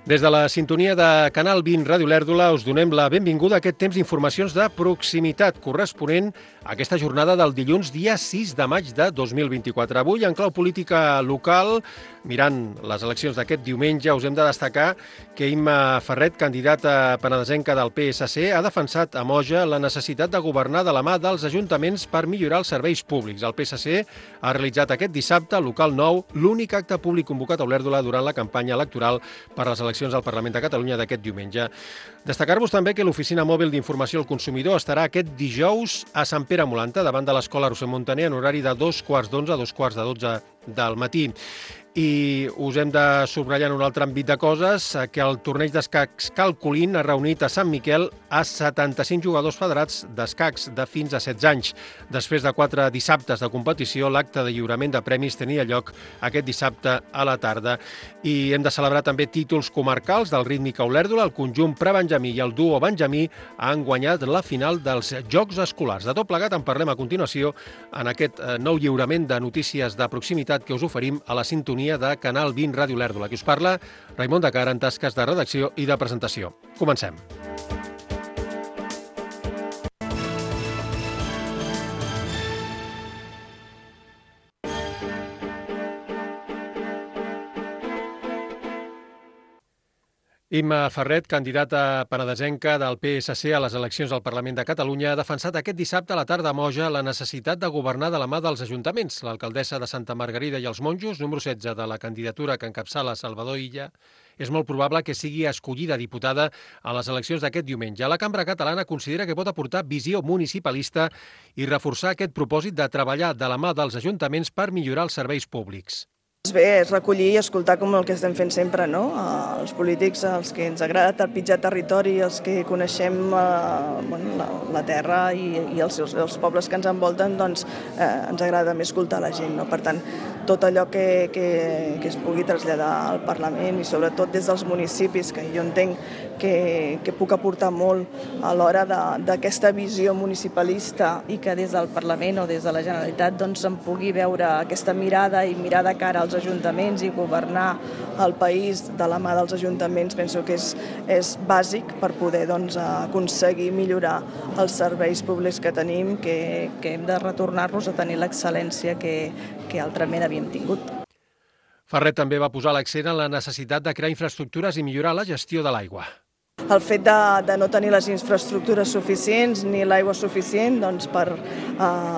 Des de la sintonia de Canal 20 Ràdio Lèrdula us donem la benvinguda a aquest temps d'informacions de proximitat corresponent a aquesta jornada del dilluns, dia 6 de maig de 2024. Avui, en clau política local, mirant les eleccions d'aquest diumenge, us hem de destacar que Imma Ferret, candidata penedesenca del PSC, ha defensat a Moja la necessitat de governar de la mà dels ajuntaments per millorar els serveis públics. El PSC ha realitzat aquest dissabte, al local 9, l'únic acte públic convocat a Olèrdola durant la campanya electoral per les eleccions al Parlament de Catalunya d'aquest diumenge. Destacar-vos també que l'Oficina Mòbil d'Informació al Consumidor estarà aquest dijous a Sant Pere Molanta, davant de l'Escola Roser Montaner, en horari de 2:15 a 2:12 del matí. I us hem de subratllar en un altre àmbit de coses que el torneig d'escacs Calcolín ha reunit a Sant Miquel a 75 jugadors federats d'escacs de fins a 16 anys. Després de 4 dissabtes de competició, l'acte de lliurament de premis tenia lloc aquest dissabte a la tarda. I hem de celebrar també títols comarcals del Rítmica Olèrdola. El conjunt prebenjamí i el duo benjamí han guanyat la final dels Jocs Escolars. De tot plegat en parlem a continuació en aquest nou lliurament de notícies de proximitat que us oferim a la sintonia de Canal 20 Ràdio Lèrdula. Qui us parla, Raimon de Cara, en tasques de redacció i de presentació. Comencem. Imma Ferret, candidata penedesenca del PSC a les eleccions al Parlament de Catalunya, ha defensat aquest dissabte a la tarda a Moja la necessitat de governar de la mà dels ajuntaments. L'alcaldessa de Santa Margarida i els Monjos, número 16 de la candidatura que encapçala Salvador Illa, és molt probable que sigui escollida diputada a les eleccions d'aquest diumenge. La Cambra Catalana considera que pot aportar visió municipalista i reforçar aquest propòsit de treballar de la mà dels ajuntaments per millorar els serveis públics. Bé, és recollir i escoltar com el que estem fent sempre, no? Els polítics, els que ens agrada trepitjar territori, els que coneixem la terra i els pobles que ens envolten, doncs ens agrada més escoltar la gent, no? Per tant, tot allò que es pugui traslladar al Parlament i sobretot des dels municipis, que jo entenc que puc aportar molt a l'hora d'aquesta visió municipalista i que des del Parlament o des de la Generalitat doncs se'n pugui veure aquesta mirada i mirar de cara als ajuntaments i governar el país de la mà dels ajuntaments. Penso que és bàsic per poder aconseguir millorar els serveis públics que tenim, que hem de retornar-los a tenir l'excel·lència que altrament havíem tingut. Ferret també va posar l'accent en la necessitat de crear infraestructures i millorar la gestió de l'aigua. El fet de no tenir les infraestructures suficients ni l'aigua suficient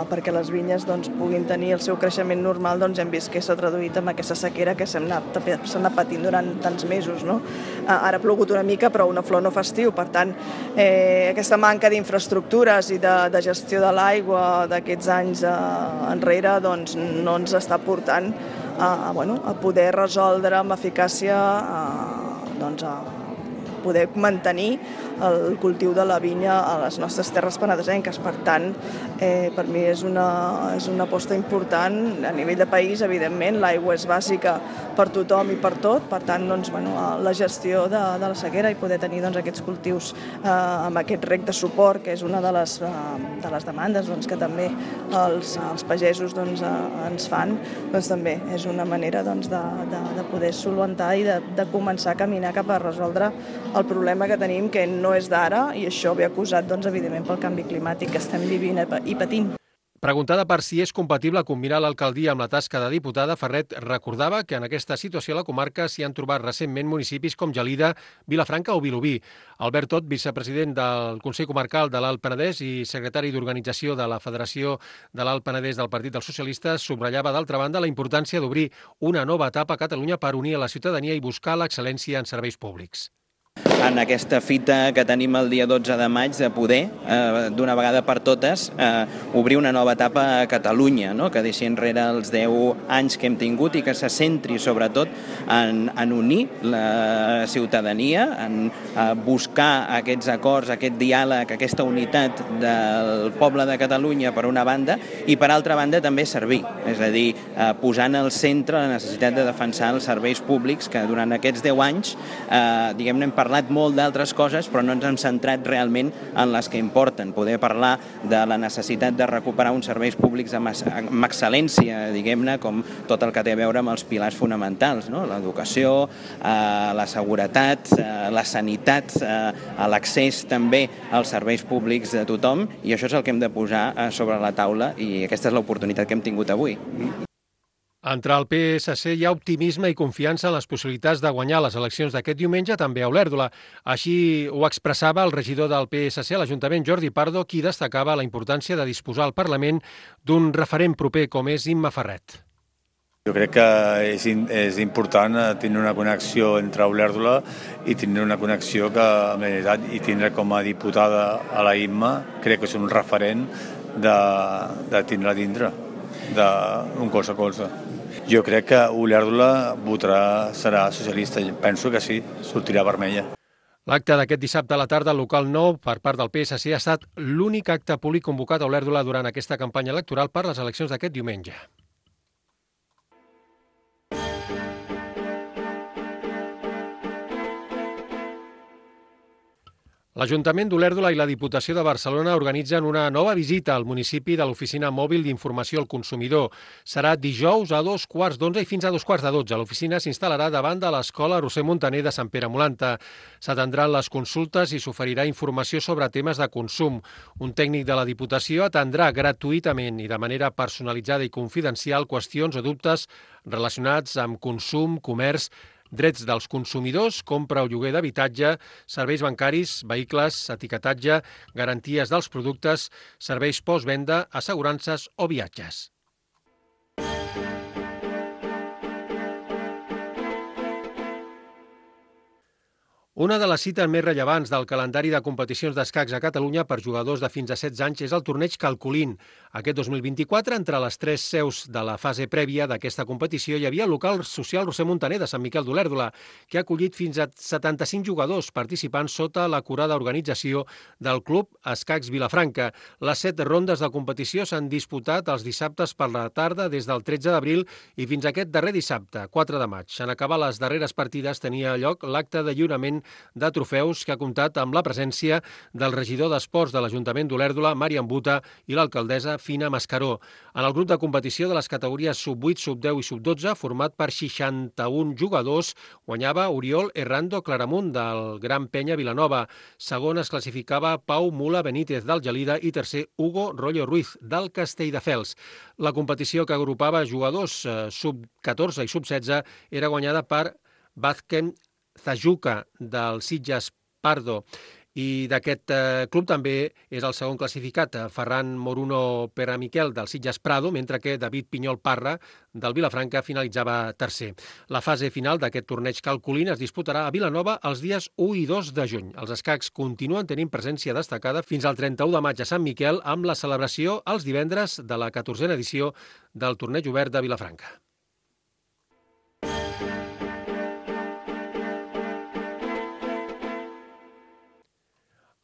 perquè les vinyes puguin tenir el seu creixement normal, hem vist que s'ha traduït en aquesta sequera que s'ha anat patint durant tants mesos, no? Ara ha plogut una mica, però una flor no fa estiu. Per tant, aquesta manca d'infraestructures i de gestió de l'aigua d'aquests anys enrere no ens està portant a poder resoldre amb eficàcia poder mantenir el cultiu de la vinya a les nostres terres penedesenques. Per tant, per mi és una aposta important a nivell de país. Evidentment, l'aigua és bàsica per tothom i per tot. Per tant, la gestió de la sequera i poder tenir aquests cultius amb aquest rec de suport, que és una de les demandes que també els pagesos ens fan, també és una manera de poder solucionar i de començar a caminar cap a resoldre el problema que tenim, que no és d'ara, i això ve acusat, evidentment, pel canvi climàtic que estem vivint i patint. Preguntada per si és compatible combinar l'alcaldia amb la tasca de diputada, Ferret recordava que en aquesta situació a la comarca s'hi han trobat recentment municipis com Gelida, Vilafranca o Vilobí. Albert Tot, vicepresident del Consell Comarcal de l'Alt Penedès i secretari d'Organització de la Federació de l'Alt Penedès del Partit dels Socialistes, subratllava d'altra banda la importància d'obrir una nova etapa a Catalunya per unir a la ciutadania i buscar l'excel·lència en serveis públics. En aquesta fita que tenim el dia 12 de maig de poder, d'una vegada per totes, obrir una nova etapa a Catalunya, no? Que deixi enrere els 10 anys que hem tingut i que se centri sobretot en unir la ciutadania, en buscar aquests acords, aquest diàleg, aquesta unitat del poble de Catalunya per una banda i per altra banda també servir, és a dir, posant al centre la necessitat de defensar els serveis públics que durant aquests 10 anys, hem parlat parlat molt d'altres coses, però no ens hem centrat realment en les que importen. Poder parlar de la necessitat de recuperar uns serveis públics amb excel·lència, diguem-ne, com tot el que té a veure amb els pilars fonamentals, no? L'educació, la seguretat, la sanitat, l'accés també als serveis públics de tothom, i això és el que hem de posar sobre la taula, i aquesta és l'oportunitat que hem tingut avui. Entre el PSC hi ha optimisme i confiança en les possibilitats de guanyar les eleccions d'aquest diumenge, també a Olèrdola. Així ho expressava el regidor del PSC a l'Ajuntament, Jordi Pardo, qui destacava la importància de disposar al Parlament d'un referent proper com és Imma Ferret. Jo crec que és important tenir una connexió entre Olèrdola i tenir una connexió que, en realitat, i tindre com a diputada a la Imma, crec que és un referent de tindre dintre, d'un colze a colze. Jo crec que Olèrdola serà socialista, penso que sí, sortirà vermella. L'acte d'aquest dissabte a la tarda al local 9 per part del PSC ha estat l'únic acte públic convocat a Olèrdola durant aquesta campanya electoral per les eleccions d'aquest diumenge. L'Ajuntament d'Olèrdola i la Diputació de Barcelona organitzen una nova visita al municipi de l'Oficina Mòbil d'Informació al Consumidor. Serà dijous a 11:15 i fins a 11:45. L'oficina s'instal·larà davant de l'Escola Roser Montaner de Sant Pere Molanta. S'atendran les consultes i s'oferirà informació sobre temes de consum. Un tècnic de la Diputació atendrà gratuïtament i de manera personalitzada i confidencial qüestions o dubtes relacionats amb consum, comerç, drets dels consumidors, compra o lloguer d'habitatge, serveis bancaris, vehicles, etiquetatge, garanties dels productes, serveis postvenda, assegurances o viatges. Una de les cites més rellevants del calendari de competicions d'escacs a Catalunya per jugadors de fins a 16 anys és el torneig Calcolín. Aquest 2024, entre les 3 seus de la fase prèvia d'aquesta competició, hi havia el local social Roser Montaner de Sant Miquel d'Olèrdola, que ha acollit fins a 75 jugadors participants sota l'acurada organització del Club Escacs Vilafranca. Les 7 rondes de competició s'han disputat els dissabtes per la tarda des del 13 d'abril i fins a aquest darrer dissabte, 4 de maig. En acabar les darreres partides tenia lloc l'acte de lliurament de trofeus que ha comptat amb la presència del regidor d'Esports de l'Ajuntament d'Olèrdola, Màriam Buta, i l'alcaldessa Fina Mascaró. En el grup de competició de les categories sub-8, sub-10 i sub-12, format per 61 jugadors, guanyava Oriol Errando Claramunt del Gran Penya Vilanova. Segon es classificava Pau Mula Benítez del Gelida i tercer Hugo Rollo Ruiz del Castelldefels. La competició que agrupava jugadors sub-14 i sub-16 era guanyada per Vazquem Zajuca del Sitges Pardo, i d'aquest club també és el segon classificat Ferran Moruno Peramiquel del Sitges Prado, mentre que David Pinyol Parra del Vilafranca finalitzava tercer. La fase final d'aquest torneig Calcolín es disputarà a Vilanova els dies 1 i 2 de juny. Els escacs continuen tenint presència destacada fins al 31 de maig a Sant Miquel, amb la celebració els divendres de la 14a edició del torneig obert de Vilafranca.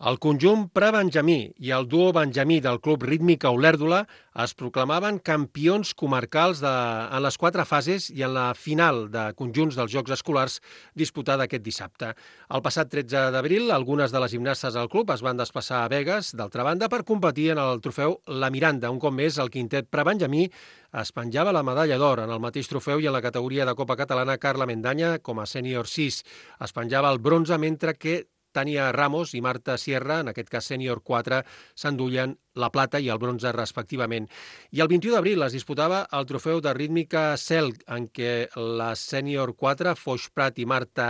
El conjunt prebenjamí i el duo benjamí del Club Rítmica Olèrdola es proclamaven campions comarcals en les 4 fases i en la final de conjunts dels Jocs Escolars disputada aquest dissabte. El passat 13 d'abril, algunes de les gimnastes del club es van desplaçar a Begues, d'altra banda, per competir en el trofeu La Miranda. Un cop més, el quintet prebenjamí es penjava la medalla d'or en el mateix trofeu i en la categoria de Copa Catalana Carla Mendanya, com a sènior 6. Es penjava el bronze, mentre que Tània Ramos i Marta Sierra, en aquest cas sènior 4, s'endullen la plata i el bronze respectivament. I el 21 d'abril es disputava el trofeu de rítmica CEL, en què la sènior 4, Foix Prat i Marta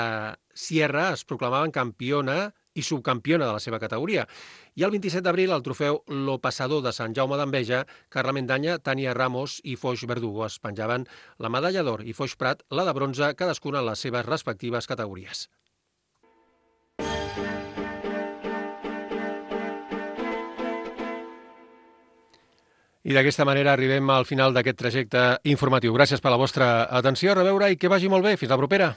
Sierra, es proclamaven campiona i subcampiona de la seva categoria. I el 27 d'abril el trofeu Lo Passador de Sant Jaume d'Enveja, Carla Mendanya, Tània Ramos i Foix Verdugo es penjaven la medalla d'or i Foix Prat la de bronze, cadascuna en les seves respectives categories. I d'aquesta manera arribem al final d'aquest trajecte informatiu. Gràcies per la vostra atenció, a reveure i que vagi molt bé. Fins la propera.